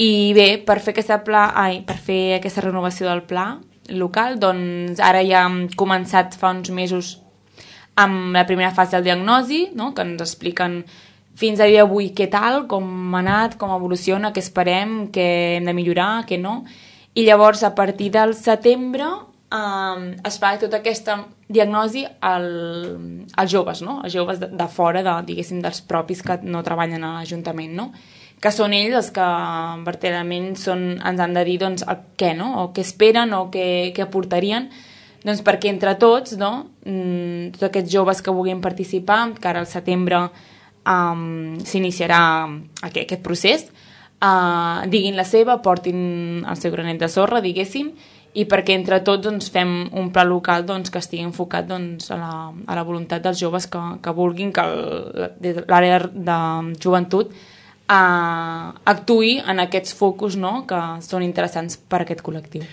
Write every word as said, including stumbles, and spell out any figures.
I bé, per fer, aquesta pla, ai, per fer aquesta renovació del pla local, doncs ara ja hem començat fa uns mesos amb la primera fase del diagnosi, no? Que ens expliquen fins a dia d'avui què tal, com ha anat, com evoluciona, què esperem, què hem de millorar, què no. I llavors, a partir del setembre, eh, es fa tota aquesta diagnosi al, als joves, no? Els joves de, de fora, de, diguéssim, dels propis que no treballen a l'Ajuntament, no? Que són ells els que verdaderament són, ens han de dir doncs, el què, no? O què esperen o què, què aportarien, doncs perquè entre tots, no? Mm, tots aquests joves que vulguin participar, que ara al setembre um, s'iniciarà aquest, aquest procés, uh, diguin la seva, portin el seu granet de sorra, diguéssim, i perquè entre tots doncs, fem un pla local doncs, que estigui enfocat doncs, a, la, a la voluntat dels joves que, que vulguin que l'àrea de joventut uh, actuï en aquests focus, no? Que són interessants per a aquest col·lectiu.